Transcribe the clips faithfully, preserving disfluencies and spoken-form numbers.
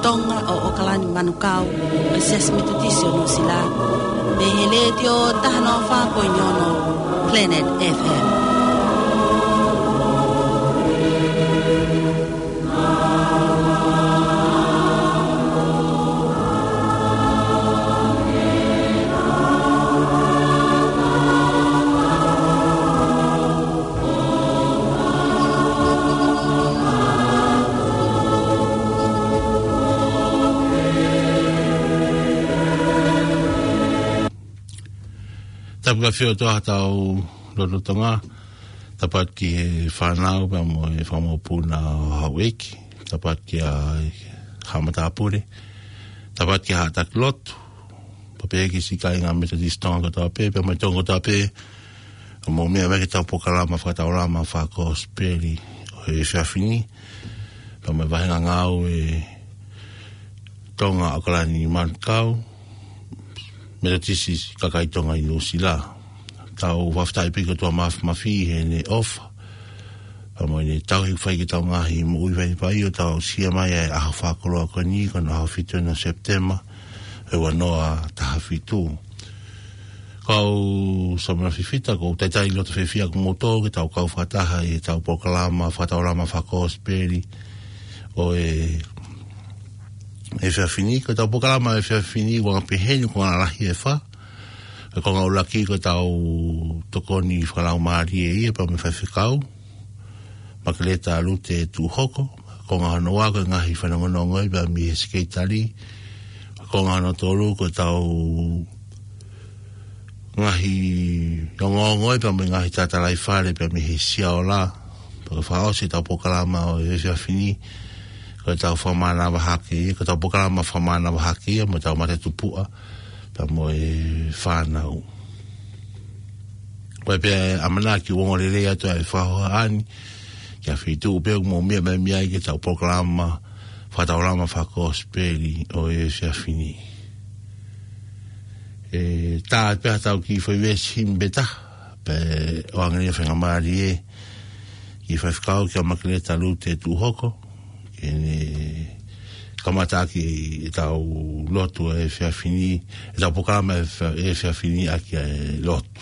Tonga ʻo ʻOkalani Manukau, ʻo e Siasi Metotisi ʻo Nuʻusila, mei he Letiō taha noa fā poini ono Planet F M. Tapu ki he ʻOtua ʻi hotau lotolotonga, tapu atu ki he fānau pea mo e fanga mokopuna ʻo houʻeiki, tapu atu ki he haʻa matāpule, tapu atu ki he haʻa taki lotu, pea pehē ki siʻi kāinga Metotisi Tonga kotoa pē, pea mo e Tonga kotoa pē, ʻoku mou meʻa mai ki heʻetau polokalama fakataulama fakakosipeli ʻo e efiafi ni, pea mo e vāhenga ngāue Tonga ʻOkalani Manukau, Metotisi kakai Tonga ʻi Nuʻusila. Tau fakafetaʻi pē ki he ʻOtua Māfimafi heʻene ʻofa, pea mo ʻene tauhi fai ki heʻetau ngaahi moʻui vaivai ʻo tau aʻusia mai ʻa e ʻaho fakakoloa ko eni, ko hono ʻaho fitu ʻeni ʻo Sepitema, ʻo e ua noa taha fitu. Kau Samuela Fifita, ʻoku ou talitali loto fiefia ʻa kimoutolu ke tau kau fakataha ʻi heʻetau polokalama fakataulama fakakosipeli ʻo e efiafi ni. Ko ʻetau polokalama efiafi ni, ʻoku anga peheni, ko e konga lalahi ʻe fā. Ko e konga ʻuluaki ko ʻetau tokoni fakalaumālie ia pea mo e faifekau, Makeleta Lute Tuʻuhoko. Ko e konga hono ua ko e ngaahi fanongonongo ia pea mei he sekelitali. Ko e konga hono tolu ko ʻetau ngaahi ongoongo ia pea mo e ngaahi tatalaifale pea mei he Siaola. Pea ko e fakaʻosi ʻetau polokalama ʻo e efiafi ni, ko ʻetau fakamānava hake ia, ko ʻetau polokalama fakamānava hake ia mo ʻetau matatupuʻa pea mo e fānau. Ko e pē ʻamanaki ʻoku ongo lelei atu ʻa e fakahohaʻa ni, ki ha feituʻu pē ʻoku mou meʻa mai ai ki heʻetau polokalama fakataulama fakakosipeli ʻo e efiafi ni. ʻE tā pē haʻatau kiʻi foʻi veesi himi pē taha, pea ʻoange ʻa e faingamālie ki he faifekau, kia Makeleta Lute Tuʻuhoko, ke ne kamataʻaki ʻetau lotu ʻo e efiafi ni, ʻetau polokalama ʻo e efiafi ni ʻaki ʻa e lotu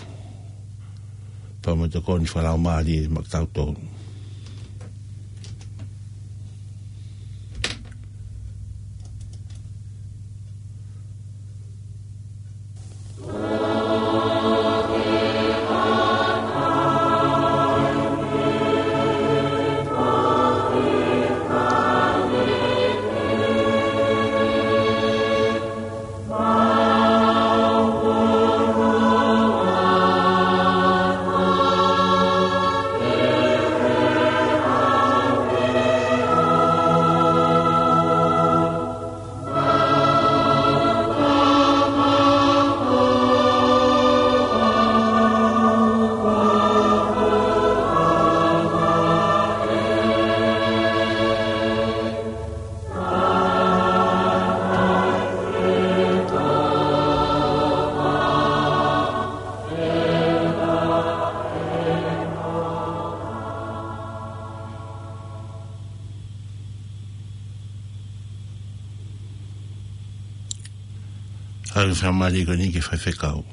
pea mo e tokoni fakalaumālie maʻa kitautolu. Haʻu e faingamālie ko eni ki he faifekau.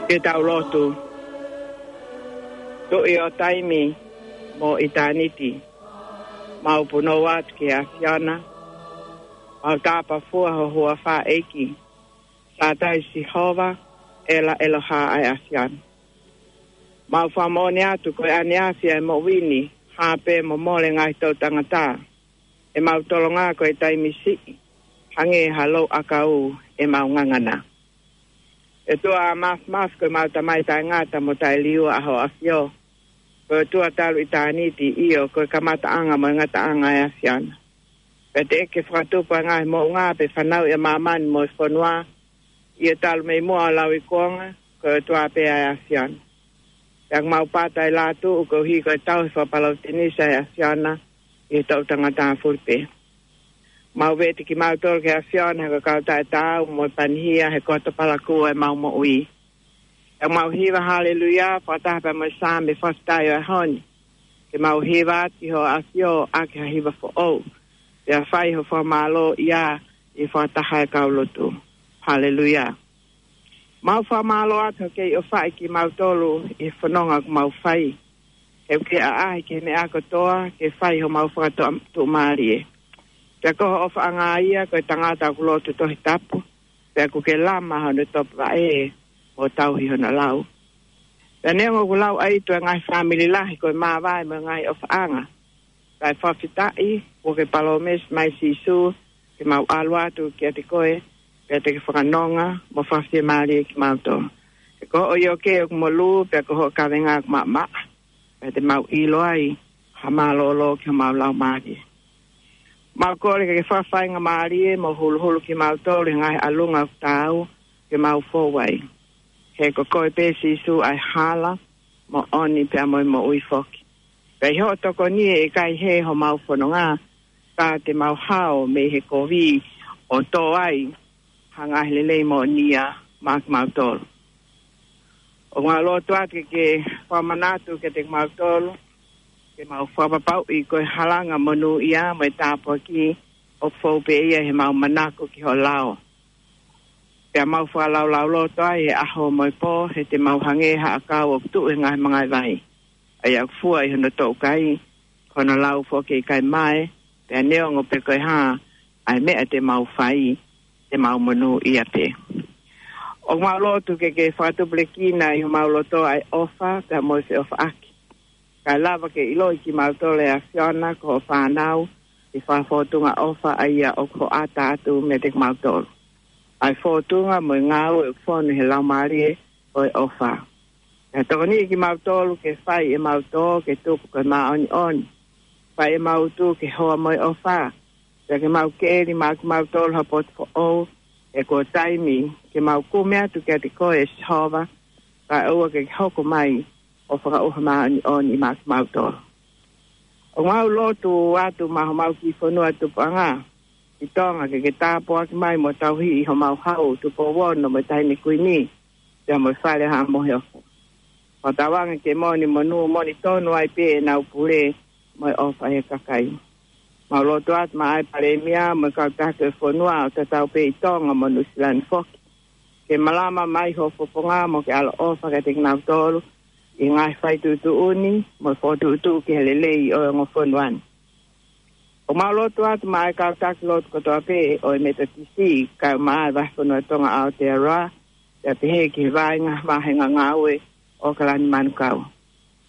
Ke tau lotu. Tuʻi ʻo taimi mo ʻitāniti, mau punou atu ki he ʻAfiona, mau tāpafua ho huafa ʻEiki, Sātai Sihova, ʻEla ʻEloha ʻa e ʻAfiona. Mau fakamoʻoni atu ko e ʻaneafi ʻa e moʻui ni, hā pē mo mole ngaahi toʻu tangata, ʻemau tolonga ko e taimi siʻi, hangē ha lou ʻakau ʻemau ngangana. ʻE ʻOtua mafimafi, ko ʻemau Tamai taʻengata mo taʻeliua ʻa ho ʻAfio, ko e ʻOtua talu ʻitāniti, ʻio ko e kamataʻanga mo e ngataʻanga ʻa e ʻAfiona. Pea teʻeki ke fakatupu ʻa e ngaahi moʻunga pe fanauʻi ʻa māmani mo e fonua, ʻio talu mei muʻa ʻo lauikuonga, ko e ʻOtua pē ʻa e ʻAfiona. Pea ʻoku mau pata ʻi he lātuʻu koeʻuhi ko e tauhi fakapalōtenisi ʻa e ʻAfiona ʻi he toʻu tangata fuli pē. Mau vete kimautolu ki he ʻAfiona, he ko e kau taʻetaau mo e panihia, he ko e topalaku ʻo ʻemau moʻui. ʻOku mau hiva haleluia fakataha pea mo e Saame fakafetaʻi ʻo e ʻaho ni, ke mau hiva atu ki ho ʻAfio ʻaki ha hiva foʻou, pea fai ho fakamālō ia ʻi he fakataha ʻa e kau lotu. Haleluia. Mau fakamālō atu hoʻo kei ʻofaʻi kimautolu ʻi he fononga ʻoku mau fai. He ʻoku ke ʻaʻahi ki he meʻa kotoa ke fai homau fakatuʻumālie. Pea ko ho ʻofaʻanga ia ko e tangata ʻoku lotu Tohi Tapu, pea ʻoku ke lama hono topuvaʻe ʻo tauhi hono lau. Pea neongo ʻoku lauʻaito e ngaahi fāmili lahi ko e māvae mo e ngaahi ʻofaʻanga, kae fakafetaʻi kuo ke palōmesi mai Sīsū ke mau ʻalu atu kiate koe, pea te ke fakanonga mo fakafiemālie kimautolu. He ko hoʻo ioke ʻoku molū, pea ko hoʻo kavenga ʻoku maʻamaʻa, pea te mau ʻilo ai ha mālōlō ki homau laumālie. Mau kole ke ke fakafaingamālie mo huluhulu kimautolu he ngaahi ʻalunga ʻoku taau ke mau fou ai. He ko koe pē Sīsū ʻa e hala, moʻoni pea mo e moʻui foki. Pea ʻi hoʻo tokoni ʻe ʻikai hē homau fononga, ka te mau hao mei he kovi ʻo tō ai ha ngaahi lelei moʻoni ia maʻa kimautolu. ʻOku mau lotu atu ke ke fakamanatu kiate kimautolu, ke mau fakapapauʻi ko e halanga monūʻia mo e tāpuaki ʻoku fou pē ia heʻemau manako ki ho lao. Pea mau fakalaulauloto ai he ʻaho mo e pō, he te mau hangē ha ʻakau ʻoku tuʻu he ngaahi mangaʻi vai, ʻa ia ʻoku fua ʻi hono toʻukai, ko hono lau foki ʻe ʻikai mae, pea neongo pe ko e hā ʻa e meʻa te mau fai, te mau monūʻia pē. ʻOku mau lotu ke ke fakatupulekina ʻi homau loto ʻa e ʻofa pea mo e feʻofaʻaki, kae lava ke ʻiloʻi kimautolu ʻe he ʻAfiona ko hoʻo fānau, ʻi he fakafōtunga ʻofa ʻa ia ʻoku hoʻata atu meiate kimautolu, ʻa e fōtunga mo e ngāue ʻoku fonu he laumālie ʻo e ʻofa. Pea tokoniʻi kimautolu ke fai ʻemau tō ke tuku ko e māʻoniʻoni, fai ʻemau tū ke hoa mo e ʻofa, pea ke mau keli maʻa kimautolu ha potu foʻou, he kuo taimi ke mau kumi atu kiate koe ʻe Sihova, kae ʻoua ke ke hoko mai ʻo fakaʻuha māʻoniʻoni maʻa kimautolu. ʻOku mau lotu atu maʻa homau kiʻi fonua tupuʻanga ʻi Tonga, ke ke tāpuaki mai mo tauhi ʻi homau hau Tupou Ono mo e Taʻahine Kuini, pea mo e Fale ʻo Haʻa Moheofo. Fakatauange ke moʻoni monū moʻoni tonu ai pē ʻenau pule mo e ʻofa he kakai. Mau lotu atu maʻa e Palēmia mo e kau taki ʻo e fonua ʻo tatau pē ʻi Tonga mo Nuʻusila ni foki, ke malama mai ho fofonga mo ke ʻaloʻofa kiate kinautolu ʻi he ngaahi faituʻutuʻuni mo e fokotuʻutuʻu ki he lelei ʻo e ongo fonua ni. ʻOku mau lotu atu maʻa e kau taki lotu kotoa pē ʻo e Metotisi, kae ʻumaʻā e Vahefonua Tonga ʻa Aotearoa, pea pehē ki he vaʻinga vāhenga ngāue ʻo ʻOkalani Manukau,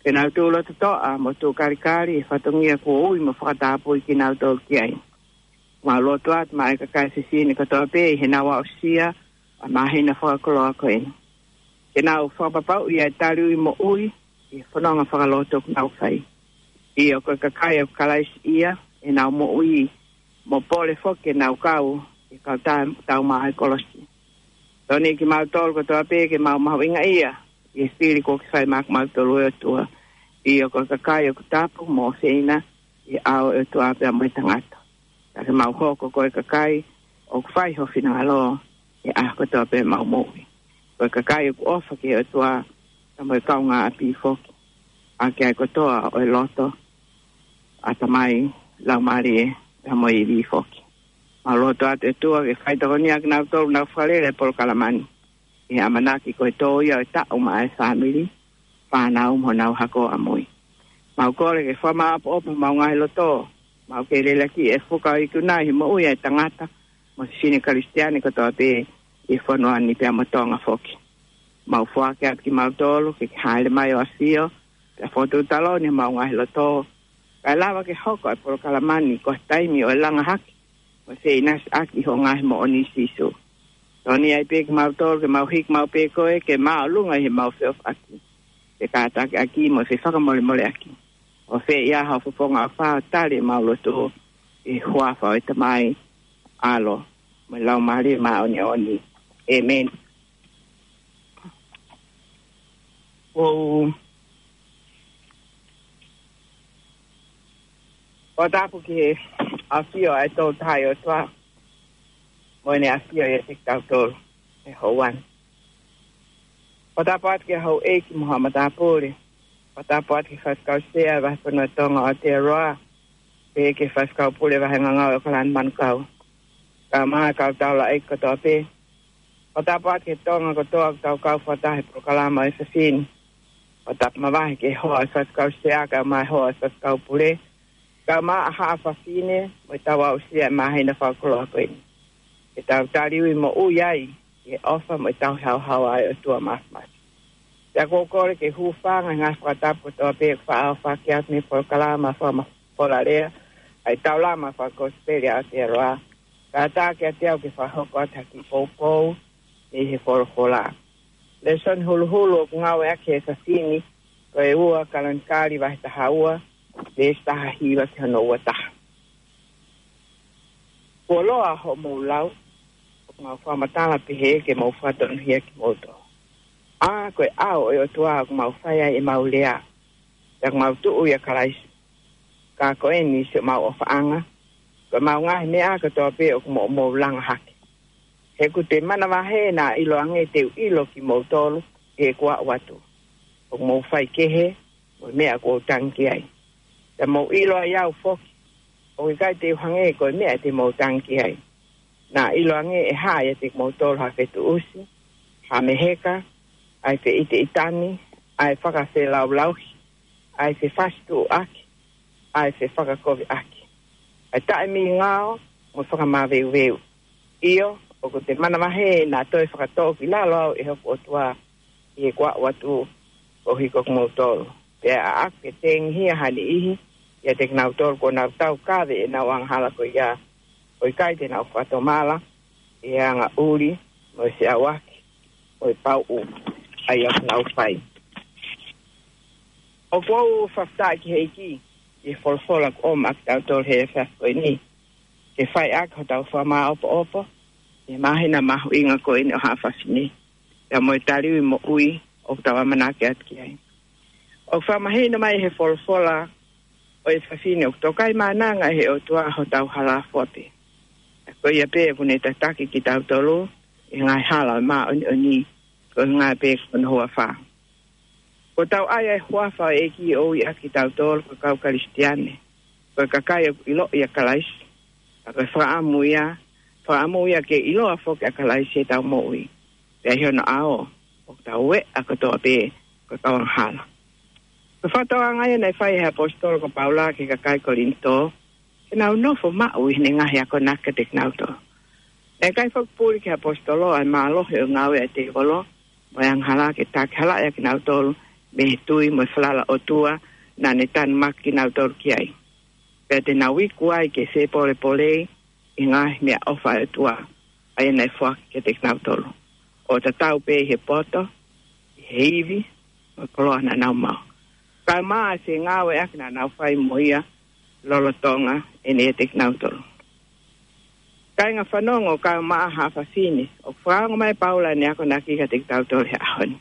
ke nau tuʻu loto toʻa mo tuʻu kalikali he fatongia kuo ui mo fakatapui kinautolu ki ai. Mau lotu atu maʻa e kakai fefine kotoa pē ʻi heʻenau aʻusia ʻa e māhina fakakoloa ko eni, ke nau fakapapauʻi ʻa e taliui moʻui ʻi he fononga fakalotu ʻoku nau fai. ʻIo, ko e kakai ʻoku Kalaisiʻia ʻenau moʻui, mo pole foki ke nau kau ʻi he kau tau, tau maʻa e kolosi. Tokoniʻi kimautolu kotoa pē ke mau mahuʻingaʻia ʻi he fili kuo ke fai maʻa kimautolu ʻe ʻOtua. ʻIo, ko e kakai ʻoku tapu mo ʻofeina ʻi he ʻao ʻo e ʻOtua pea mo e tangata. Ka ke mau hoko ko e kakai ʻoku fai ho finangalo he ʻaho kotoa pē ʻemau moʻui. Ko e kakai ʻoku ʻofa ki he ʻOtua, pea mo e kaungāʻapi foki, ʻaki ʻa e kotoa ʻo e loto, ʻatamai, laumālie, pea mo e ivi foki. Mau lotu atu ʻe ʻOtua ke fai tokoni ʻa kinautolu ʻoku nau fakalele e polokalama ni. ʻi he ʻamanaki ko e tō ia ʻo e taʻu maʻa e fāmili, fānau mo honau hako ʻamui. Mau kole ke fakamāʻopoʻopo homau ngaahi loto, mau kei lelaki e fuka ʻo ʻIkuna ʻi he moʻui ʻa e tangata mo e fefine Kalisitiane kotoa pē ʻi he fonua ni pea mo Tonga foki. Mau foaki atu kimautolu ke ke hāʻele mai ʻo ʻafio, pea fokotuʻu taloni homau ngaahi loto, kae lava ke hoko ʻa e polokalama ni ko ha taimi ʻo e langa hake mo e feʻinasiʻaki ʻi hoʻo ngaahi moʻoni Sīsū. Tokoni ai pē kimautolu ke mau hiki maʻu pē koe ke māʻolunga ʻi heʻemau feʻofaʻaki, fekātakiʻaki mo e fefakamolemoleʻaki. ʻO fai ia ha fofonga ʻofa ʻo tali ʻemau lotu, ʻi he huafa ʻo e Tamai, ʻAlo, mo e Laumālie Māʻoniʻoni. ʻĒmeni. ʻOku ou fakatapu ki he ʻafio ʻa e Toʻu Tahaʻi ʻOtua, mo ʻene ʻafio ʻiate kitautolu he houa ni. Fakatapu atu ki he houʻeiki mo haʻa matāpule. Fakatapu atu ki he faifekau sea ʻo e Vahefonua ʻo Tonga ʻo Aotearoa, pehē ki he faifekau pule vahenga ngāue ʻo Kalani Manukau, kae ʻumaʻā e kau taulaʻeiki kotoa pē. Fakatapu atu ki he Tonga kotoa ʻoku tau kau fakataha he polokalama ʻo e efiafi ni. Fakatapu mavahe ki he hoa ʻo e faifekau sea kae ʻumaʻā e hoa ʻo e faifekau pule, kae ʻumaʻā haʻa fafine, mo ʻetau aʻusia e māhina fakakoloa ko eni. Ke tau taliui moʻui ai ʻi he ʻofa mo e tauhi haohaoa ʻa e ʻOtua Māfimafi. Pea ʻoku ou kole ke u hūfanga he ngaahi fakatapu kotoa pē ʻoku faʻa ʻohake atu mei he polokalama fakamafola lea ʻa e Taulama Fakakosipeli ʻa Aotearoa, kae ʻatā kiate au ke fakahoko atu ha kiʻi poupou mei he folofola. Lēsoni huluhulu ʻoku ngāueʻaki he efiafi ni ko e ua Kalonikali vahe taha ua, veesi taha hiva ki hono ua taha. Kuo loa hoʻomou lau, ʻoku mau fakamatala pehē ke mau fakatonuhia kimoutolu. ʻA, ko e ʻao ʻo e ʻOtua ʻoku mau fai ai ʻemau lea, pea ʻoku mau tuʻu ʻia Kalaisi. Ka ko eni siʻomau ʻofaʻanga, ko ʻemau ngaahi meʻa kotoa pē ʻoku mou, mou langa hake. He ʻoku te manavahē naʻa ʻiloange te u ʻilo kimoutolu ʻi heʻeku aʻu atu. ʻOku mou faikehe mo e meʻa ʻoku ou tangi ki ai. Pea mou ʻilo ai au foki, ʻoku ʻikai te u hangē ko e meʻa te mou tangi ki ai. Naʻa ʻiloange ʻe hā ʻiate kimoutolu ha fetuʻusi, ha meheka, ʻa e feʻiteʻitani, ʻa e fakafelaulauhi, ʻa e fefasituʻuaki, ʻa e fefakakoviʻaki, ʻa e taʻemingao mo e fakamaveuveu. ʻIo, ʻoku te manavahē naʻa toe fakatoʻo ki lalo au ʻe hoku ʻOtua ʻi heʻeku aʻu atu koeʻuhi ko kimoutolu. Pea ʻaʻaku ke tengihia ha niʻihi ʻiate kinautolu kuo nau taukave ʻenau angahala ko ia, ʻo ʻikai te nau fakatomala ʻi he angaʻuli mo e feʻauaki mo e pauʻu ʻa ia ʻoku nau fai. ʻOku ou fakafetaʻi ki he ʻEiki ʻi he folofola kuo ʻomai kiate kitautolu he efiafi ko eni, ke fai ʻaki hotau fakamāʻopoʻopo ʻi he māhina mahuʻinga ko eni ʻo Haʻa Fafine, pea mo e taliui moʻui ʻoku tau ʻamanaki atu ki ai. ʻOku fakamahino mai he folofola ʻo e efiafi ni ʻoku tokaimaʻananga ʻe he ʻOtua hotau hala fua pē. Ko ia pē ʻoku ne tataki kitautolu ʻi he ngaahi hala ʻo e māʻoniʻoni, ko e ngaahi pē ko hono huafa. Kuo tau ʻai ʻa e huafa ʻo e ʻEiki ʻo ui ʻaki kitautolu ko e kau Kalisitiane, ko e kakai ʻoku ʻiloʻi ʻa Kalaisi. Ka ko e fakaʻamu ia, fakaʻamu ia ke ʻiloa foki ʻa Kalaisi ʻi heʻetau moʻui. Pea ʻi hono ʻao, ʻoku tau ueʻi kotoa pē ko e kau angahala. Ko e fakatokanga ia naʻe fai ʻe he ʻaposetolo ko Paula ki he kakai Kolinitō, ke nau nofo maʻu ʻi heʻene ngaahi akonaki kiate kinautolu. Naʻe ʻikai foki puli ki he ʻaposetolo ʻa e mālohi ʻo e ngāue ʻa e tēvolo mo e angahala ke takihalaʻi ʻa kinautolu mei he tui mo e falala ʻOtua naʻa ne tanumaki kinautolu ki ai. Pea te nau iku ai ke fepolepolei ʻi he ngaahi meʻaʻofa ʻa e ʻOtua, ʻa ia naʻe foaki kiate kinautolu, ʻo tatau pē ʻi he poto, ʻi he ivi, mo e koloa naʻa nau maʻu. Kae ʻumaʻā e fengāueʻaki naʻa nau fai mo ia lolotonga ʻene ʻiate kinautolu. Kāinga fanongo, kae ʻumaʻā haʻa fafine, ʻoku fakaongo mai ʻe Paula ʻene akonaki kiate kitautolu he ʻaho ni.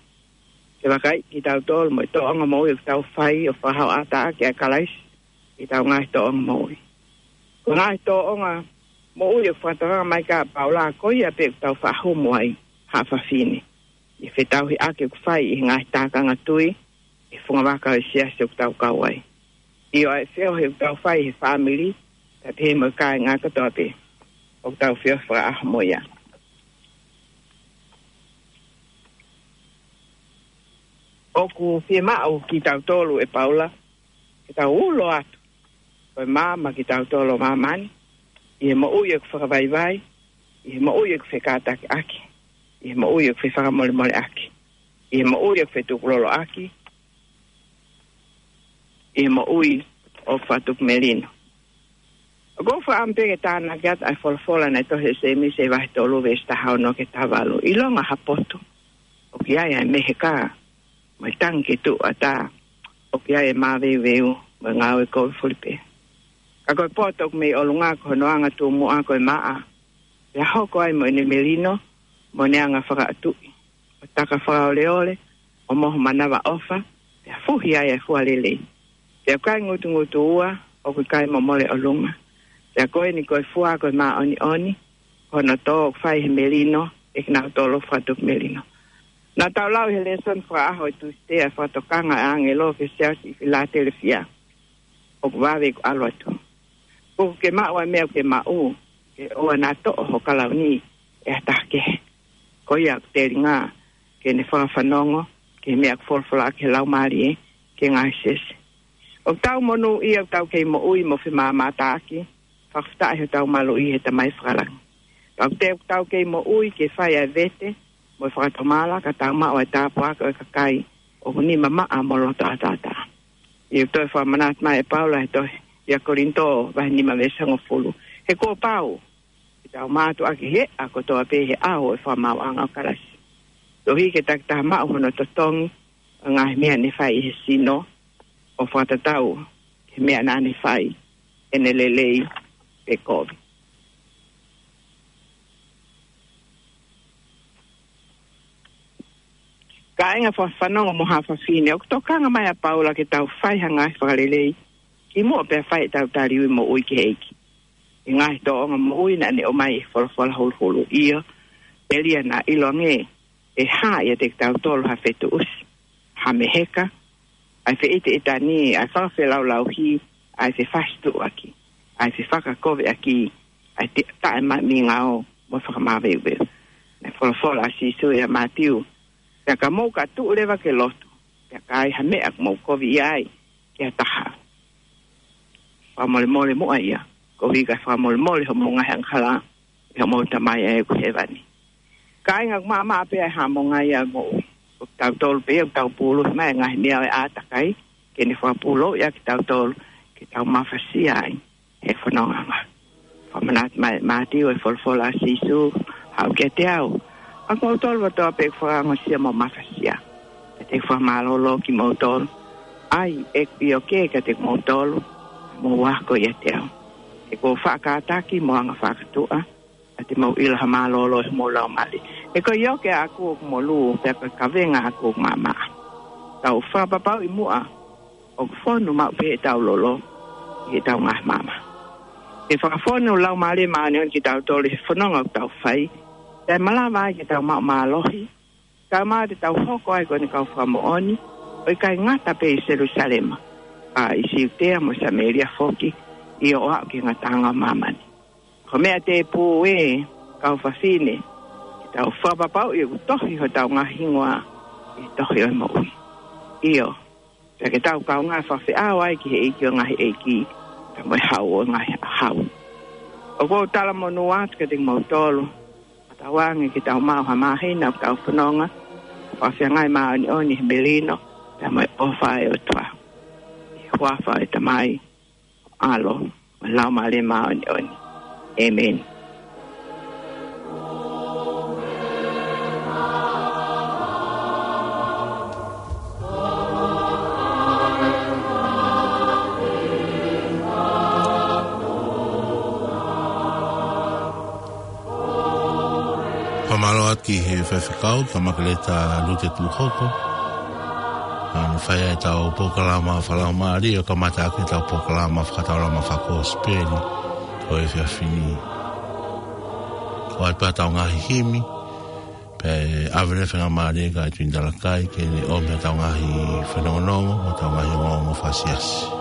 Ke vakaiʻi kitautolu mo e tōʻonga moʻui ʻoku tau fai ʻo fakahoʻataʻaki ʻa Kalaisi ʻi heʻetau ngaahi tōʻonga moʻui. Ko e ngaahi tōʻonga moʻui ʻoku fakatokanga mai ki ai ʻa Paula, ko ia pē ʻoku tau faʻa humu ai, haʻa fafine, ʻi he fetauhiʻaki ʻoku fai ʻi he ngaahi tākanga tui ʻi he fungavaka ʻo e siasi ʻoku tau kau ai. ʻIo, ʻa e feohi ʻoku tau fai he fāmili, kae pehē mo e kāinga kotoa pē ʻoku tau feohi fakaʻaho mo ia. ʻOku fiemaʻu kitautolu ʻe Paula ke tau ulo atu ko e maama kitautolu ʻo māmani, ʻi he moʻui ʻoku fakavaivai, ʻi he moʻui ʻoku fekātakiʻaki, ʻi he moʻui ʻoku fefakamolemoleʻaki, ʻi he moʻui ʻoku fetukuloloʻaki, ʻi he moʻui ʻoku fakatukimelino. ʻOku ou fakaʻamu pē ke tānaki atu ʻa e folofola naʻe tohi ʻe Sēmisi vahe tolu veesi taha ono ki he taha valu. ʻIlonga ha potu ʻoku ʻi ai ʻa e meheka mo e tangi ke tuʻu ʻatā, ʻoku ʻi ai ʻa e māveuveu mo e ngāue kovi fulipē. Ka ko e potu ʻoku mei ʻolunga ko hono anga tumuʻa ko e maʻa, pea hoko ai mo ʻene melino mo ʻene anga fakaʻatuʻi, ʻo taka fakaoleole, ʻo mohu manavaʻofa, pea fuhi ai ʻa e fua lelei. Pea ʻoku ʻikai ngutungutu ua, ʻoku ʻikai momole ʻolunga. Pea ko eni ko e fua ko e māʻoniʻoni, ko hono tō ʻoku fai he melino ʻe kinautolu ʻoku fakatukimelino. Naʻa tau lau ʻi he lēsoni fakaʻaho ʻo e Tūsite ʻa e fakatokanga ʻa e ʻāngelo ki he siasi ʻi Filatelefia. ʻOku vave ke u ʻalu atu. Kuo ke maʻu ʻa e meʻa ʻoku ke maʻu, ke ʻoua naʻa toʻo ho kalauni ʻe ha taha kehe. Ko ia ʻoku telinga ke ne fakafanongo ki he meʻa ʻoku folofolaʻaki ʻe he Laumālie ki he ngaahi siasi. ʻOku tau monūʻia ʻoku tau kei moʻui mo femāmātaaki, fakafetaʻi hotau maluʻi ʻi he Tamai Fakalangi. Ka ʻoku teʻeki ke tau kei moʻui ke fai ʻa e vete mo e fakatomala ka tau maʻu ʻa e tāpuaki ʻo e kakai ʻoku nima maʻa mo loto ʻataʻatā. ʻOku toe fakamanatu mai ʻe Paula he tohi ʻa Kolinitō vahe nima veesi hongofulu: He kuo pau ke tau mātuʻaki he ʻaho kotoa pē he ʻao ʻo e fakamaauʻanga ʻo Kalaisi, koeʻuhi ke takitaha maʻu hono totongi ʻo e ngaahi meʻa ne fai ʻe he sino, ʻo fakatatau ki he meʻa naʻa ne fai, ʻene lelei pe kovi. Kāinga, fakafanongo mo haʻa fafine, ʻoku tokanga mai ʻa Paula ke tau fai ha ngaahi fakalelei kimuʻa pea fai ʻetau taliui moʻui ki he ʻEiki. ʻI he ngaahi tōʻonga moʻui naʻa ne ʻomai ʻi he folofola huluhulu, ʻio, telia naʻa ʻiloange ʻe hā ʻiate kitautolu ha fetuʻusi, ha meheka, ʻa e feʻiteʻitani, ʻa e fakafelaulauhi, ʻa e fefasituʻuaki, ʻa e fefakakoviʻaki, ʻa e ti-, taʻemaʻimingao mo e fakamāveuveu. Naʻe folofola ʻa Sīsū ʻia Mātiu: Pea ka mou ka tuʻu leva ke lotu, pea ka ai ha meʻa ʻoku mou koviʻia ai ki ha taha, fakamolemole muʻa ia, koeʻuhi kae fakamolemole homou ngaahi angahala ʻe homou Tamai ʻa ia ʻoku ʻi hēvani. Kāinga, ʻoku maʻamaʻa pē ʻa e haʻamonga ia ʻo e moʻui. Ko kitautolu pē ia ʻoku tau pūluhi mai ʻa e ngaahi meʻa ʻo e ʻātakai ke ne fakapūlouʻi ʻa kitautolu ke tau mafasia ai he fonongaʻanga. Fakamanatu mai ʻe Mātiu ʻa e folofola ʻa Sīsū: Haʻu kiate au ʻa kimoutolu kotoa pē ʻoku fakaongosia mo mafasia, pea te u fakamālōlō kimoutolu. ʻAi ʻeku ʻioke kiate kimoutolu, mou ako ʻiate au, he ʻoku ou faʻa kātaki mo anga fakatuʻa, pea te mou ʻilo ha mālōlō ʻi homou laumālie. He ko e ʻioke ʻaʻaku ʻoku molū, pea ko e kavenga ʻaʻaku ʻoku maʻamaʻa. Tau fakapapauʻi muʻa ʻoku fonu maʻu pē ʻetau lolo ʻi heʻetau ngaahi maama. Ke fakafonu Laumālie Māʻoniʻoni kitautolu ʻi he fononga ʻoku tau fai, pea malava ai ke tau maʻu mālohi, kae ʻumaʻā te tau hoko ai ko ʻene kau fakamoʻoni, ʻo ʻikai ngata pē ʻi Selūsalema, ka ʻi Siutea mo Samēlia foki, ʻio, ʻo aʻu ki he ngataʻanga ʻo māmani. Ko e meʻa tēpū, ʻe kau fafine, ke tau fakapapauʻi ʻoku tohi hotau ngaahi hingoa ʻi he tohi ʻo e moʻui. ʻIo, pea ke tau kaungā fakafeʻao ai ki he ʻEiki ʻo e ngaahi ʻeiki, pea mo e Hau ʻo e ngaahi hau. ʻOku ou talamonū atu kiate kimoutolu, ʻo tauange ke tau maʻu ha māhina ʻoku tau fononga ʻo fakafiangai māʻoniʻoni he melino pea mo e ʻofa ʻa e ʻOtua. ʻI he huafa ʻo e Tamai, ʻAlo, mo e Laumālie Māʻoniʻoni. ʻĒmeni. Fakamālō atu ki he faifekau, Tamakeleta Lute Tumuhoko. ʻA ia naʻe fai ai ʻetau polokalama fakalaumālie, ʻo kamata ʻaki ʻetau polokalama fakataulama fakakosipeli ʻo e efiafi ni. ʻOatu pē ʻetau ngaahi himi, pea ʻave leva e faingamālie kia Tuʻi Talakai ke ne ʻomi ʻetau ngaahi fanongonongo, ʻetau ngaahi ongoongo fakasiasi.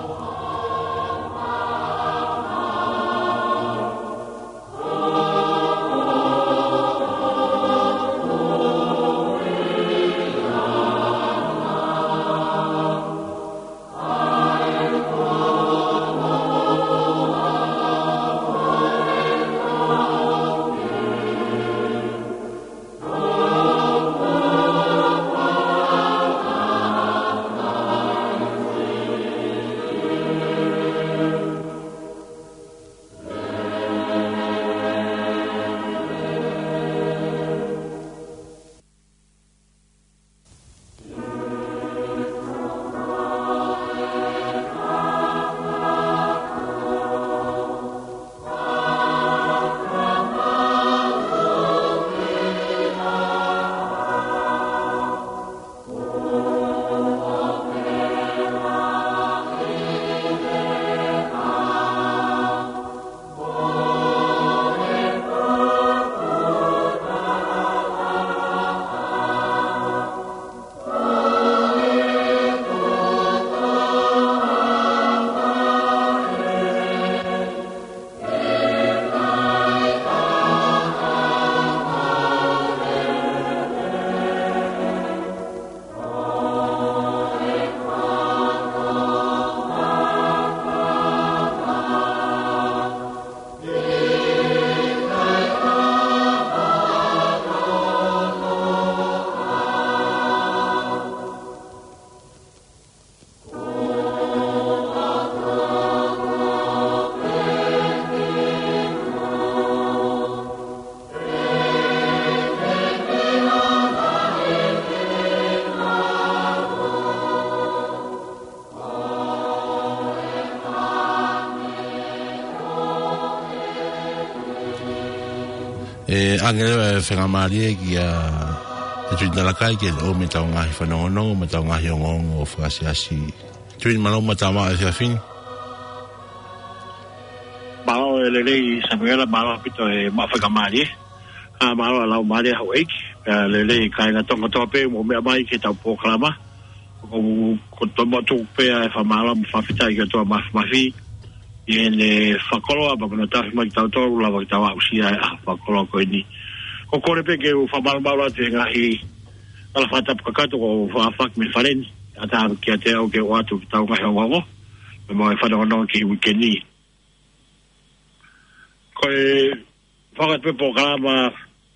ʻE ʻange leva e faingamālie kia Tuini Talakai ke ʻomai ʻetau ngaahi fanongonongo mo ʻetau ngaahi ongoongo fakaʻaonga. Tuini, mālō mo e tau maʻu e efiafi ni. Mālō e lelei Samuela, mālō ʻaupito e maʻu faingamālie. ʻA, mālō e laumālie houʻeiki. Pea lelei kāinga Tonga kotoa pē ʻoku mou meʻa mai ki heʻetau polokalama. Ko, ko e tau maʻu tuku pē ʻa e fakamālō mo e fakafetaʻi ki he ʻOtua Māfimafi ʻi heʻene fakakoloa pea mo hono tafoki mai kitautolu lava ke tau aʻusia e ʻaho fakakoloa ko eni. Ko e kole pē ke u fakamalumalu atu he ngaahi ala fakatapu kakato kuo fakafeʻiloaki mei fale ni, ʻatā kiate au ke u ʻoatu ki heʻetau ngaahi ongoongo pea mo e fanongonongo ki he uike ni. Ko e fakatapu pē polokalama,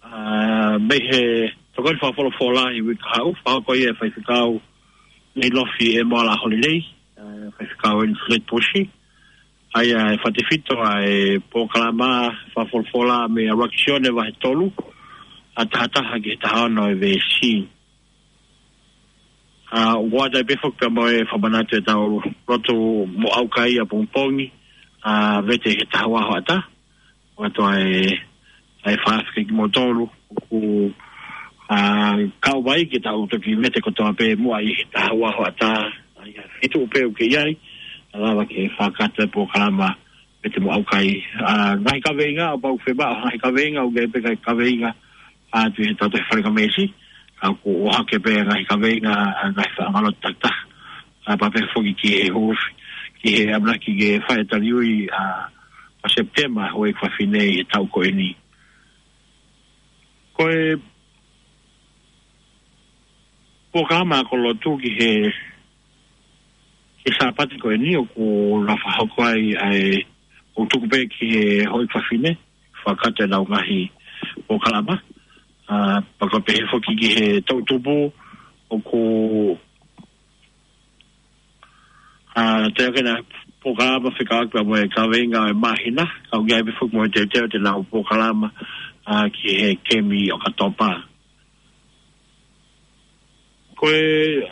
ʻa, mei he tokoni fakafolofola ʻi he uike kahaʻu, fakahoko ia ʻe Faifekau Neilofi ʻEmoala Holilei, ʻa, Faifekau ʻEni Fred Pusi. ʻA ia ʻe fakatefito ʻa e polokalama fakafolofola mei he ʻUluaki Sione vahe tolu, ʻa, taha taha ki he taha ono e veesi. ʻA, ʻoku ʻoatu ai pē foki pea mo e fakamanatu ʻetau lotu mo ʻaukai ʻapongipongi, ʻa, vete he taha ua hoʻatā. ʻOatu ai ʻa e fakafetaʻi kimoutolu ʻoku, ʻa, kau mai ke tau toki vete kotoa pē muʻa ʻi he taha ua hoʻatā. ʻA ia, feituʻu pē ʻoku ke ʻi ai, ʻe lava ke fakakakato e polokalama vete mo ʻaukai. ʻA, ngaahi kaveinga, ʻo pau fiemaʻu ngaahi kaveinga, ʻoku ʻi ai pē ngaahi kaveinga ʻa, atu ʻi heʻetau tohi falingamesi, ka ʻoku ʻohake pē ngaahi kaveinga ʻa e ngaahi faʻa ngalo takitaha. ʻA, pea pehē foki ki he hūfi, ki he ʻamanaki ke fai e taliui, ʻa, ʻo Sepitema, houʻeiki fafine, ʻi he taʻu ko eni. Ko e polokalama ako lotu ki he, ki he Sāpate ko eni ʻoku na fakahoko ai ʻa e, ʻoku tuku pē ki he houʻeiki fafine, fakakakato ʻenau ngaahi polokalama. ʻA, pea ko e pehē foki ki he toʻutupu ʻoku, ʻa, toe ʻi ai ʻena polokalama fekauʻaki pea mo e kaveinga ʻo e māhina, ka ʻoku ʻi ai pē foki mo e teuteu ʻenau polokalama, ʻa, ki he kemi ʻOkatopa. Ko e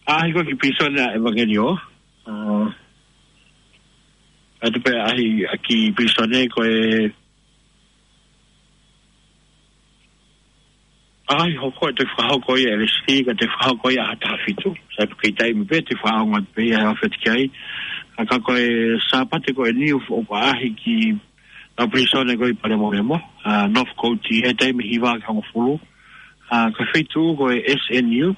ʻaʻahi ko ē ki pilīsone ʻa ʻEvangeliō. ʻA, ʻoatu pē ʻaʻahi ki pilīsone ko e ʻaʻahi hoko ʻe toe fakahoko ia ʻe Leslie, ka toe fakahoko ia ʻaho taha fitu. Sai pē ko e taimi pē toe fakaongo atu pē ia he ʻaho feti ki ai. Ka ko e Sāpate ko eni ʻoku ʻaʻahi ki ʻenau pilīsone ko ē ʻi Palēmolemo, ʻa, North Coast, he taimi hiva ki he hongofulu. ʻA, ko e feituʻu ko e S N U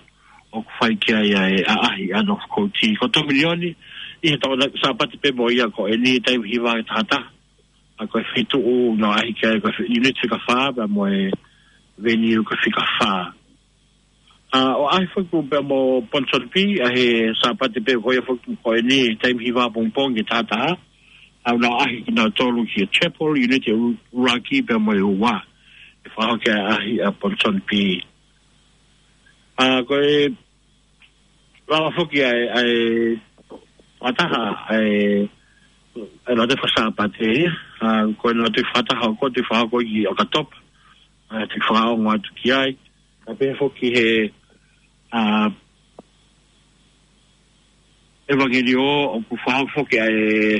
ʻoku fai ki ai ʻa e ʻaʻahi ʻa North Coast. Ko e Tominioni, ʻi he tau Sāpate pē mo ia ko eni taimi hiva ki he taha taha. ʻA, ko e feituʻu naʻe ʻaʻahi ki ai ko e fe-, unit fika fā, pea mo e venue ko e fika fā. ʻA, ʻoku ʻaʻahi foki pea mo Ponsonby, ʻa, he Sāpate pē ko ia foki ko eni, taimi hiva ʻapongipongi ki he taha taha. ʻA, ʻoku nau ʻaʻahi kinautolu ki he chapel, unit ʻuluaki pea mo e ua. ʻE fakahoko e ʻaʻahi ʻa Ponsonby. ʻA, ko e lava foki ʻa e, ʻa e fakataha, ʻa e, ʻa e lotu faka-Sāpate, ʻa, ko e lotu fakataha ʻoku toe fakahoko ʻi ʻOkatopa, ʻa, toe fakaongo atu ki ai, ka pehē foki he, ʻa, ʻEvangeliō ʻoku fakahoko foki ʻa e,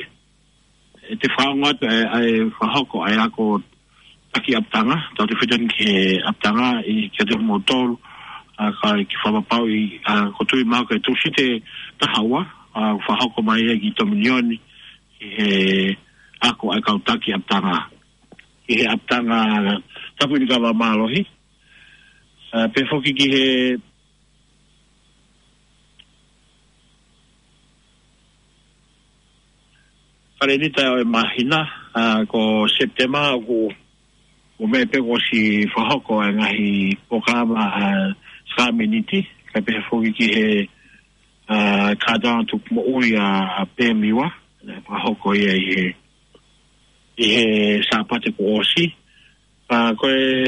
ʻe toe fakaongo atu ʻa e, ʻa e fakahoko ʻa e ako taki ʻapitanga, tau toe fetani ki he ʻapitanga ʻi he kiate kimoutolu, ʻa, ka ʻi he fakapapauʻi, ʻa, ʻoku ou tui mahalo ko e Tūsite taha ua, ʻa, fakahoko mai ia ki Tominioni, ki he ako ʻa e kau taki ʻapitanga. Ki he ʻapitanga Tapuʻinikava Mālohi, ʻa, pehē foki ki he kalēnita ʻo e māhina, ʻa, ko Sepitema ʻoku, ʻoku meʻa pē kuo ʻosi fakahoko e ngaahi polokalama, ʻa, sākalamēniti, kae pehē foki ki he, ʻa, kātoanga tuku moʻui ʻa, ʻa Pemiwa, naʻe fakahoko ia ʻi he, ʻi he Sāpate kuo ʻosi. ʻA, ko e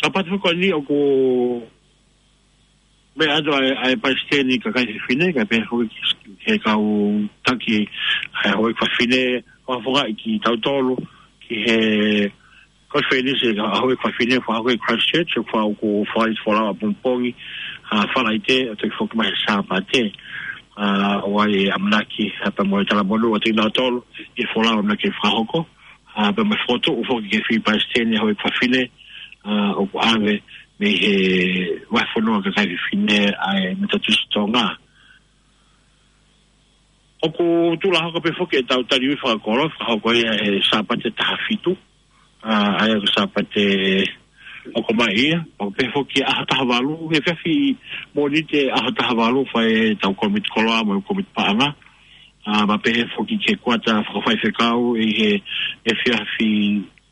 Sāpate foki ko eni ʻoku meʻa atu ʻa e, ʻa e palesiteni kakai fefine, kae pehē foki ki he kau taki ʻa e houʻeiki fafine, ʻo fakaʻi kitautolu, ki he Ko e fēnisi, ʻa e ʻaho ʻo e fefine, fakahoko ʻi Christchurch, ʻoku fa-, ʻoku folau ʻapongipongi, ʻa, Falaite, ʻo toe foki mai he Sāpate, ʻa, ʻo ʻai e ʻamanaki, ʻa, pea mo e talamonū ʻa kinautolu, ʻi he folau ʻamanaki ke fakahoko, ʻa, pea mo e fokotuʻu foki ki he fili palesiteni ʻo e ʻaho ʻo e fefine, ʻa, ʻoku ʻave mei he vahefonua kakai fefine ʻa e Metotisi Tonga. ʻOku tuʻu lā hoko pē foki ʻetau taliui fakakolo, fakahoko ia he Sāpate taha fitu, ʻa, ʻa ia ko e Sāpate ʻoku ʻomai ia, ʻo pehē foki ʻaho taha valu, he efiafi Mōnite ʻaho taha valu, fai ʻetau kōmiti koloa mo e kōmiti paʻanga, ʻa, pea pehē foki ki he kuata fakafaifekau ʻi he efiafi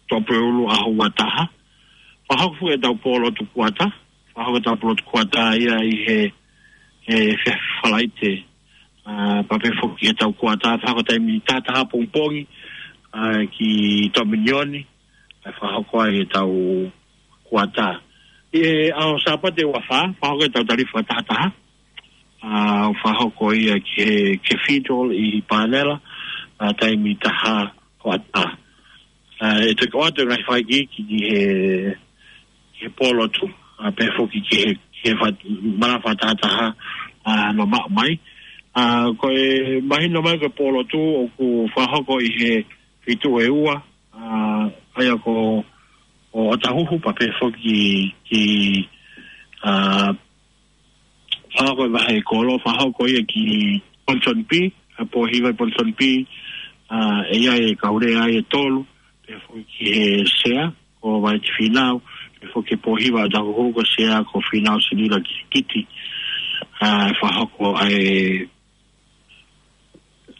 Tuʻapulelulu ʻaho ua taha. Fakahoko foki ʻetau pōlotu kuata, fakahoko ʻetau pōlotu kuata ia ʻi he, he efiafi Falaite. ʻA, pea pehē foki ʻetau kuata, fakahoko taimi taha taha ʻapongipongi, ʻa, ki Tominioni, ʻa, fakahoko ai ʻetau kuata. ʻI he ʻaho Sāpate ua fā, fakahoko ʻetau taliui fakatahataha, ʻa, fakahoko ia ki he Cathedral ʻi Panela, ʻa, taimi taha hoʻatā. ʻA, ʻe toki ʻoatu e ngaahi fakaikiiki ki he, ki he pōlotu, ʻa, pehē foki ki he, ki he fat-, malanga fakatahataha, ʻa, ʻoku maʻu mai. ʻA, ko e mahino mai ko e pōlotu ʻoku fakahoko ʻi he feituʻu ʻe ua, ʻa, ʻa ia ko, ko ʻOtahuhu pea pehē foki ki, ʻa, fakahoko e vahe kolo, fakahoko ia ki Ponsonby, ʻa, Pōhiva ʻi Ponsonby, ʻa, ʻe ʻi ai e kau lea ʻe tolu, pehē foki ki he sea, ko Vaiti Fīnau, pehē foki ki he Pōhiva ʻOtahuhu ko e sea, ko Fīnau Silila Kilikiti, ʻa, fakahoko ʻa e,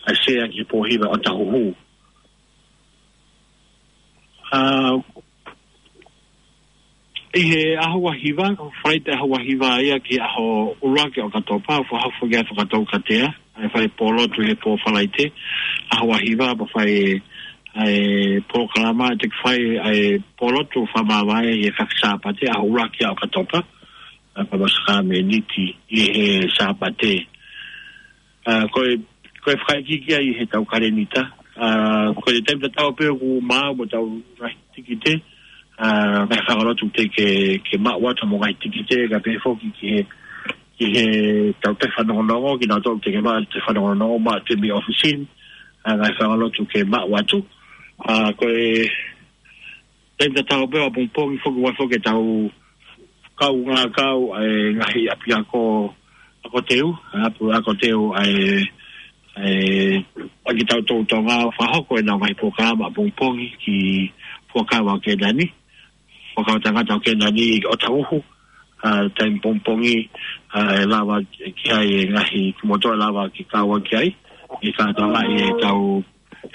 ʻa e sea ki he Pōhiva ʻOtahuhu. ʻA, ʻi he ʻaho ua hiva, Falaite ʻaho ua hiva ia ki he ʻaho ʻuluaki ʻo ʻOkatopa, fakahoko foki ʻa e fakatoukatea, ʻa e fai pōlotu he pō Falaite, ʻaho ua hiva, pea fai ʻa e polokalama, ʻe toki fai ʻa e pōlotu fakamāvae ʻi he efiafi Sāpate, ʻaho ʻuluaki ʻo ʻOkatopa, ʻa, pea mo e sākalamēniti ʻi he Sāpate. ʻA, ko e, ko e fakaikiiki ia ʻi heʻetau kalēnita. ʻA, ko e taimi tatau pē ʻoku maʻu mo ʻetau ngaahi tikite, ʻa, ngaahi fanga lotu te ke, ke maʻu atu mo e ngaahi tikite, kae pehē foki ki he, ki heʻetau toe fanongonongo, kinautolu te ke maʻu toe fanongonongo, maʻu atu mei ʻōfisi ni, ʻa, ngaahi fanga lotu ke maʻu atu. ʻA, ko e taimi tatau pē ʻapongipongi foki ʻoku ʻi ai foki ʻetau kaungā kau ʻa e ngaahi ʻapiako ako teu, ʻapiako ako teu ʻa e, ʻa e, ʻa kitautolu Tonga ʻo fakahoko ʻenau ngaahi polokalama ʻapongipongi ki Fuakava ʻo Kēnani, Fuakava Tangata ʻo Kēnani ʻi ʻOtahuhu, ʻa, taimi pongipongi, ʻa, ʻe lava ki ai e ngaahi kimoutolu ʻe lava ke kau ki ai, ʻi he kātoanga ʻi heʻetau,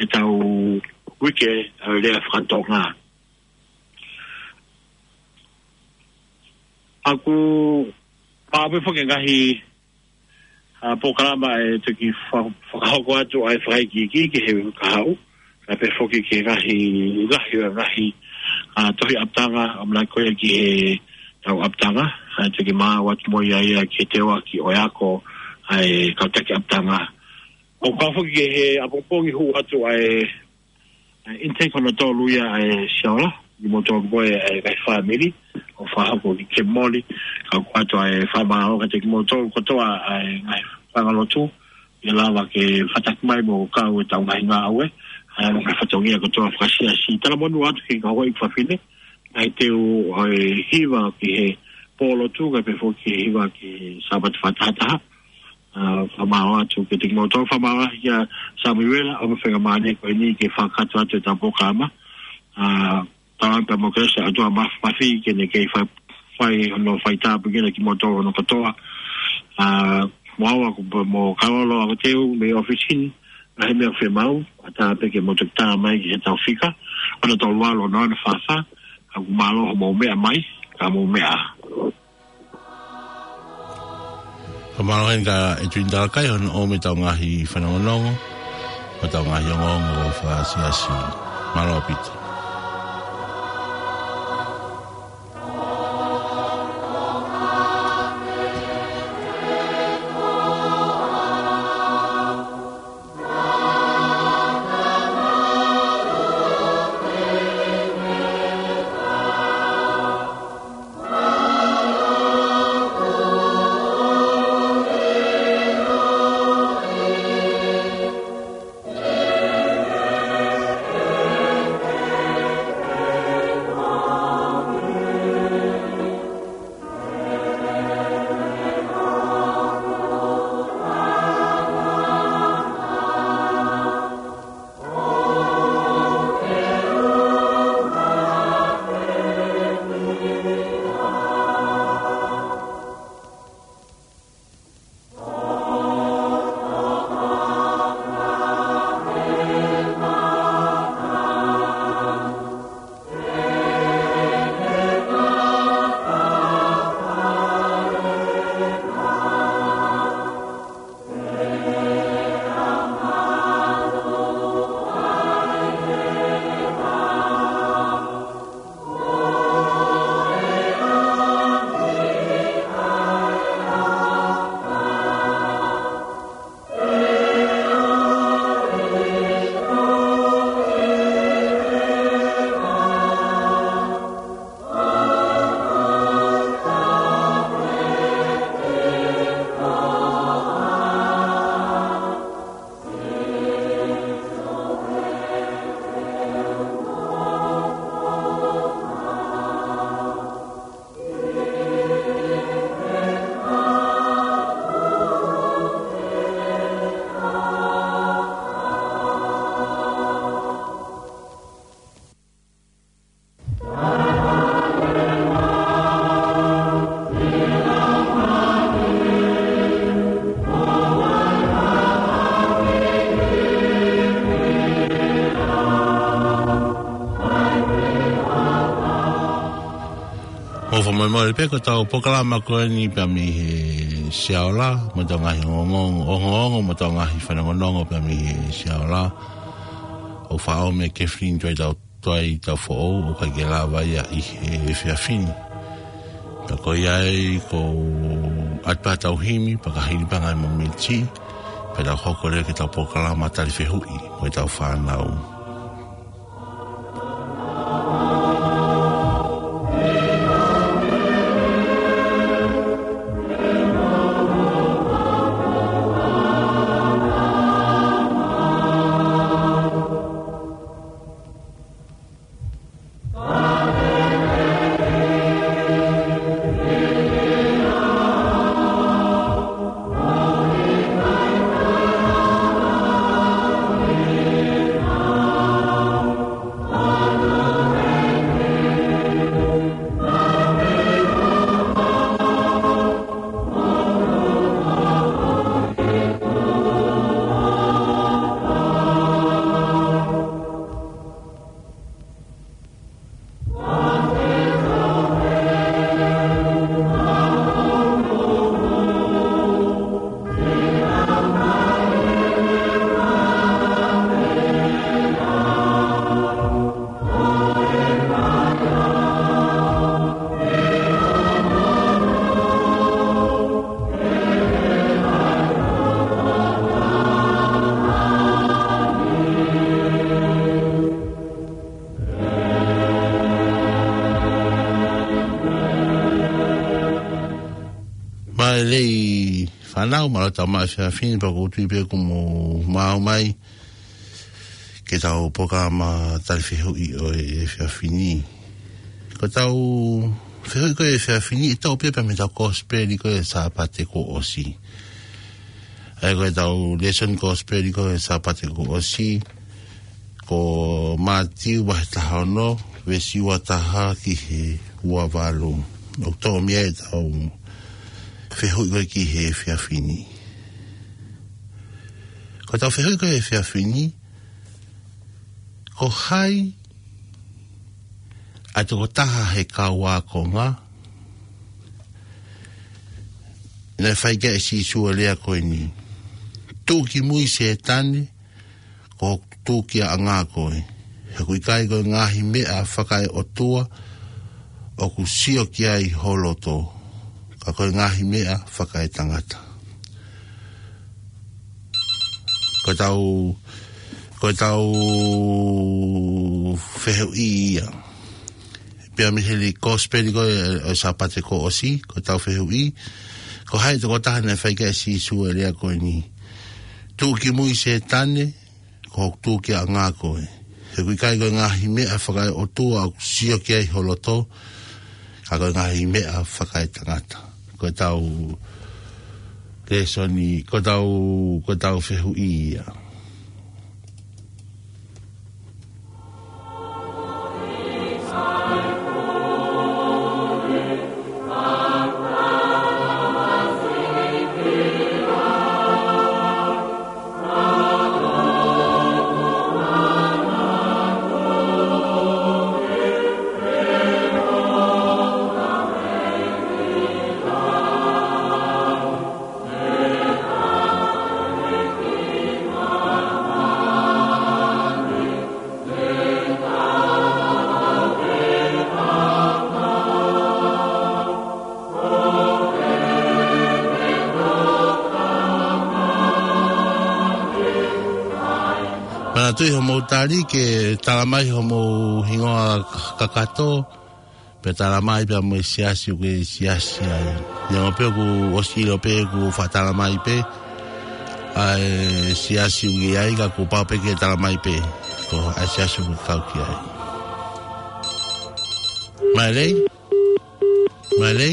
ʻetau uike, ʻa, lea faka-Tonga. ʻOku maʻu pē foki e ngaahi, ʻa, polokalama ʻe toki fa-, fakahoko atu ʻa e fakaikiiki ki he kahaʻu. Kae pehē foki ki he ngaahi, ngaahi, ngaahi, ʻa, tohi ʻapitanga, ʻamanaki ko ia ki heʻetau ʻapitanga. ʻA, toki maʻu atu mo ia ia ki he teuaki ʻo e ako, ʻa e kau taki ʻapitanga. ʻOku kau foki ki he ʻapongipongi hū atu ʻa e ʻa e intake hono tolu ia ʻa e Siola, kimoutolu ko ē ʻa e ngaahi fāmili, ʻo fakahoko ki Kemoli, ka ʻoku ʻoatu ʻa e fakamālō kiate kimoutolu kotoa ʻa e ngaahi fanga lotu, ʻe lava ke fataki mai mo kau ʻetau ngaahi ngāue, ʻa e ngaahi fatongia kotoa fakasiasi. Talamonū atu ki he kau ʻeiki fafine, ngaahi teu ʻo e hiva ki he pōlotu, kae pehē foki ki he hiva ki he Sāpate fakatahataha. ʻA, fakamālō atu kiate kimoutolu, fakamālō kia Samuela, ʻo mo fenga mane ko eni ke fakakakato atu ʻetau polokalama. ʻA, tau ʻofa pea mo Kelesi ʻa e ʻOtua Māfimafi ke ne kei fai, fai hono fai tāpuekina kimoutolu hono kotoa. ʻA, mo au ʻoku pē mo Kalolo ʻa ko teu mei ʻōfisi ni, ngaahi meʻa ʻoku fiemaʻu, ʻatā pē ke mou toki tā mai ki heʻetau fika, ono tolu valu ono ono fā fā, ʻoku mālō hoʻomou meʻa mai, ka mou meʻa. Fakamālō heni kia ʻEtuini Talakai hono ʻomi ʻetau ngaahi fanongonongo, mo ʻetau ngaahi ongoongo fakasiasi. Mālō ʻaupito. ʻOfa mai mai pē ko ʻetau polokalama ko eni pea mei he Siaola, mo ʻetau ngaahi ongoongo, ongoongo mo ʻetau ngaahi fanongonongo pea mei he Siaola. ʻOku faʻa ʻomi ʻe Kathleen Tuʻi Tau, Tuʻi Taufoʻou, ʻoku ʻikai ke lava ia ʻi he efiafi ni. Pea ko ia ai ko e ʻatu pē ʻetau himi, pea ka hili pē ngaahi momeniti, pea tau hoko leva ki heʻetau polokalama tali fehuʻi mo ʻetau fānau. Mālō e fānau, mālō e tau maʻu e efiafi ni, pea ʻoku ou tui pē kuo mou maʻu mai ki heʻetau polokalama tali fehuʻi ʻo e efiafi ni. Ko ʻetau fehuʻi ko ē he efiafi ni, ʻe toʻo pē ia mei heʻetau kosipeli ko ē he Sāpate kuo ʻosi. ʻA ia ko ʻetau lēsoni kosipeli ko ē he Sāpate kuo ʻosi, ko Mātiu vahe taha ono, veesi ua taha ki he ua valu. ʻOku toʻo mei ai ʻetau fehuʻi ko ē ki he efiafi ni. Ko ʻetau fehuʻi ko ē he efiafi ni, ko hai ʻa e tokotaha he kau ākonga naʻe fai ki ai ʻe Sīsū e lea ko eni: Tuʻu ki mui Sētane, ko hoku tūkiaʻanga koe. He ʻoku ʻikai ko e ngaahi meʻa fakaeʻotua ʻoku sio ki ai ho loto, ka ko e ngaahi meʻa fakaetangata. Ko ʻetau, ko ʻetau fehuʻi ia. Pea mei he kosipeli ko ē ʻo e Sāpate kuo ʻosi, ko ʻetau fehuʻi, ko hai e tokotaha naʻe fai ki ai ʻe Sīsū e lea ko eni: Tuʻu ki mui Sētane, ko hoku tūkiaʻanga koe. He ʻoku ʻikai ko e ngaahi meʻa fakaeʻotua ʻoku sio ki ai ho loto, ka ko e ngaahi meʻa fakaetangata. Ko ʻetau lēsoni, ko ʻetau, ko ʻetau fehuʻi ia. Manatuʻi hoʻomou tali ke tala mai hoʻomou hingoa kakato, pea tala mai pea mo e siasi ʻoku ke siasi ai. Neongo pē kuo ʻosi ʻilo pē kuo faʻa tala mai pē ʻa e siasi ʻoku ke ʻi ai, ka kuo pau pē ke tala mai pē ko e hā e siasi ʻoku ke kau ki ai. Mālō. Mālō.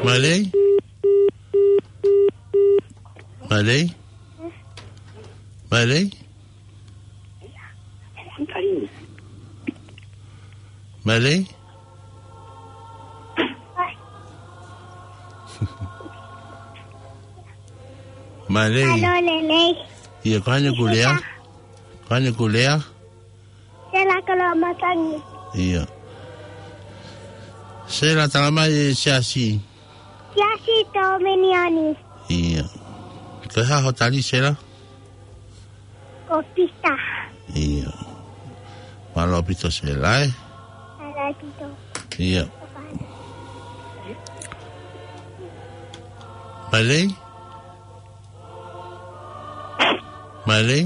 Mālō. Mailei? Mailei? Mailei? Mailei? Mālō e lelei. ʻIo, ko hai ʻoku lea? Ko hai ʻoku lea? Sela Koloamatangi. ʻIo. Sela, talamai e siasi. Siasi Tōminiani. ʻIo. Ko e hā ho tali, Sela? Ko Pita. ʻIo. Mālō ʻaupito, Sela, ē? Mālō ʻaupito. ʻIo. Mailei? Mailei?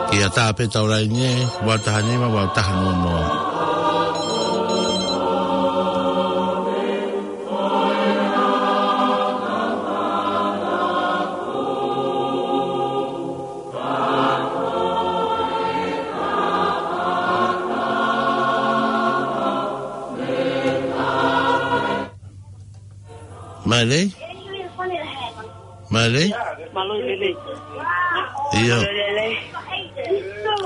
Kia tā pē tau laine, ua taha nima, ua taha noa noa. Mailei? Mailei? Mālō e lelei. ʻIo. Mālō e lelei.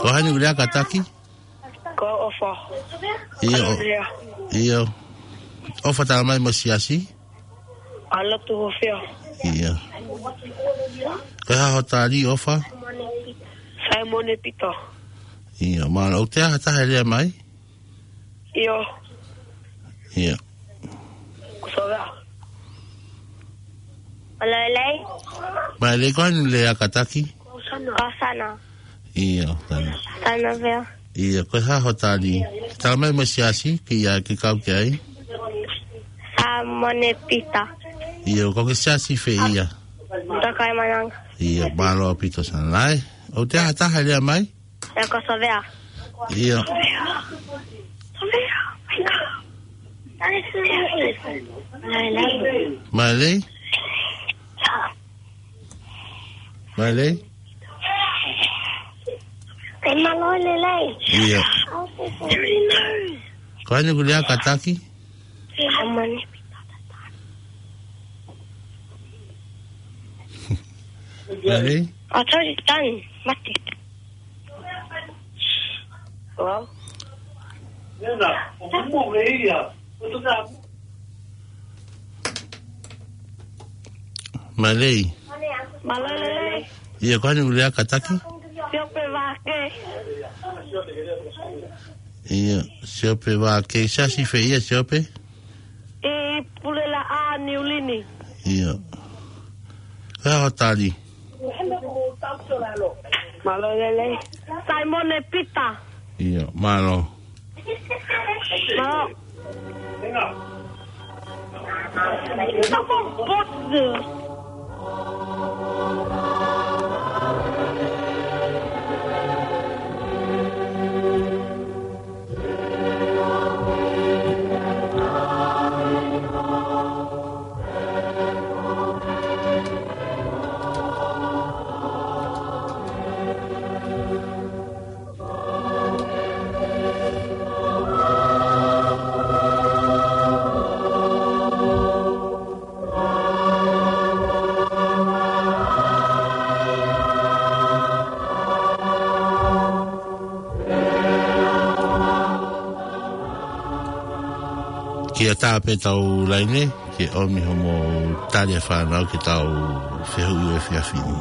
Ko hai ʻoku lea, kātaki? Ko ʻOfa. ʻIo. Mālō e lelei. ʻIo. ʻOfa, talamai mo e siasi? ʻAlu atu ho fea. ʻIo. Ko e hā ho tali, ʻOfa? Saimone Pita. ʻIo, mālō. ʻOku ʻi ai ha taha ʻe lea mai? ʻIo. ʻIo. Ko Sovea. Mālō e lelei. Mailei, ko hai ʻoku lea, kātaki? Ko Sana. ʻIo, Sana. Sana fea. ʻIo, ko e hā ho tali? Talamai mo e siasi, ke ʻai ke kau ki ai. Saimone Pita. ʻIo, ko e siasi fē ia? Tokaimaʻananga. ʻIo, mālō ʻaupito, Sana, ē? ʻOku ʻi ai ha taha ʻe lea mai? ʻIo, ko Sovea. ʻIo. Mailei? Mailei? Mālō e lelei. ʻIo. Ko hai ʻoku lea, kātaki? Saimone. Mailei? I'll tell you, done. Mate. Hello? Mailei? Mālō e lelei. ʻIo, ko hai ʻoku lea, kātaki? Siope Vake. ʻIo, Siope Vake. Siasi fē ia, Siope? ʻI Pulelaʻā, Niulini. ʻIo. Ko e hā ho tali? Mālō e lelei. Saimone Pita. ʻIo, mālō. Mālō. Tapu botu. Kia tā pē tau laine, ke ʻomi hoʻomou tali e fānau ke tau fehuʻi he efiafi ni.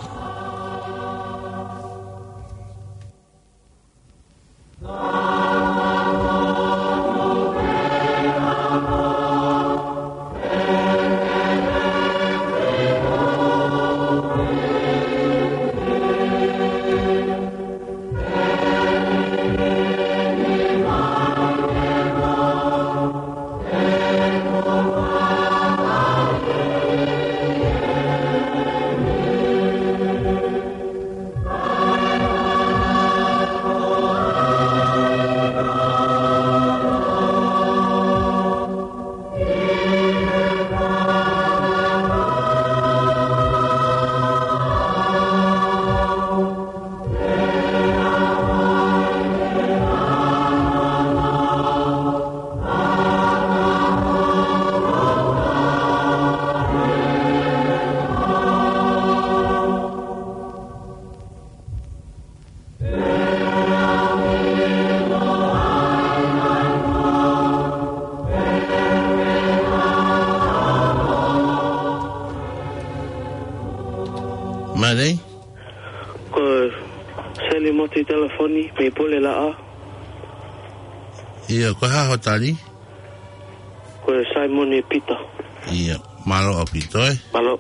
Oni, mei Pulelaʻa. ʻIo, ko e hā hoʻo tali? Ko Saimone Pita. ʻIo, mālō ʻaupito, ē? Mālō.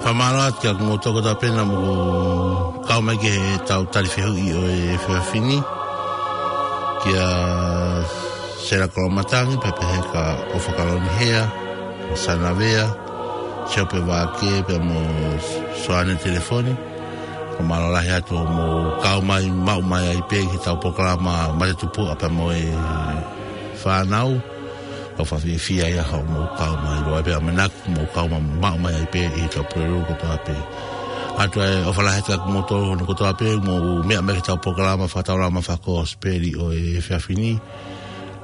Fakamālō atu kia kimoutolu kotoa pē naʻa mou kau mai ki heʻetau tali fehuʻi ʻo e efiafi ni. Kia Sela Kolomatangi, pea pehē kia ʻOfa Kalonihea, ʻo Sanavea, Siope Vake, pea mo Soane Telefoni. Fakamālō lahi atu hoʻomou kau mai, maʻu mai ai pē ki heʻetau polokalama Mate Tupuʻa pea mo e Fānau. ʻOku fakafiefia ia hoʻomou kau mai, ʻoku ʻi ai pē ʻamanaki mou kau mai, maʻu mai ai pē ʻi heʻetau polokalama kotoa pē. ʻA ia ʻoku ou ʻofa lahi atu kia kimoutolu hono kotoa pē, mou meʻa mai ki heʻetau polokalama fakataulama fakakosipeli ʻo e efiafi ni.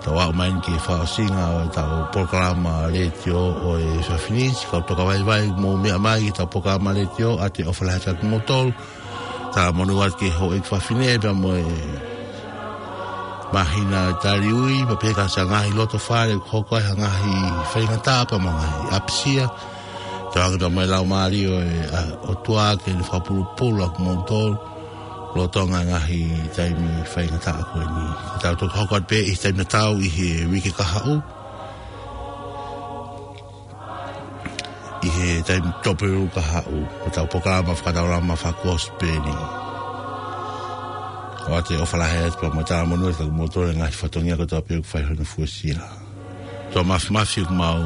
Tau aʻu mai eni ki he fakaʻosinga ʻo ʻetau polokalama letiō ʻo e efiafi ni, siʻi kau tokavaivai, mou meʻa mai ki heʻetau polokalama letiō, ʻa ia ʻoku ou ʻofa lahi atu kia kimoutolu. Talamonū atu ki he houʻeiki fafine pea mo e māhina taliui, pea pehē ki he ngaahi loto fale, ʻoku hoko ai ha ngaahi faingataʻa pea mo e ngaahi ʻapisia. Tauange pea mo e Laumālie ʻo e, ʻa, ʻOtua ke ne fakapulupulu ʻa kimoutolu lolotonga e ngaahi taimi faingataʻa ko eni. Tau toki hoko atu pē ʻi he taimi tatau ʻi he uike kahaʻu, ʻi he taimi Tupou kahaʻu, ʻo ʻetau polokalama fakataulama fakakosipeli. ʻOatu e ʻofa lahi atu pea mo e talamonū atu kia kimoutolu he ngaahi fatongia kotoa pē ʻoku fai hono fuesia. ʻOtua Māfimafi, ʻoku mau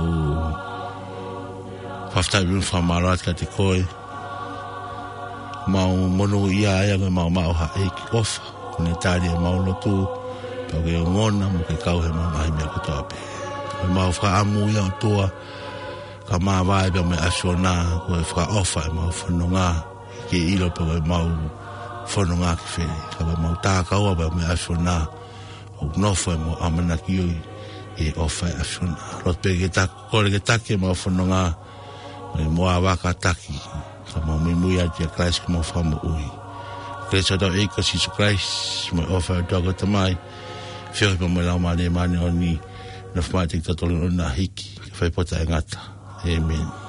fakafetaʻi mo fakamālō atu kiate koe. Mau monūʻia ai ʻa koe, mau maʻu ha ʻEiki ʻofa, kuo ne tali ʻemau lotu, pea ʻoku ke ongona mo ke kau heʻemau ngaahi meʻa kotoa pē. Ko ʻemau fakaʻamu ia ʻOtua, ka māvae pea mo e ʻAfiona, ko e fakaʻofa ʻemau fononga, ke ʻilo pē ko ʻemau fononga ki fē, ka ko ʻemau takaua pea mo e ʻAfiona, ʻoku nofo ʻemau ʻamanaki ʻi he ʻofa ʻa e ʻAfiona. Lotu pē ke ta-, kole ke taki ʻemau fononga, mo e moʻua vaka taki, ka mau muimui atu kia Kalaisi ko homau Fakamoʻui. Kelesi ʻa hotau ʻEiki ko Sīsū Kalaisi, mo e ʻofa ʻa e ʻOtua ko e Tamai, feohi pea mo e Laumālie Māʻoniʻoni, nofo maʻa kitautolu ʻo na hiki, ke fai pē ʻo taʻengata. ʻĒmeni.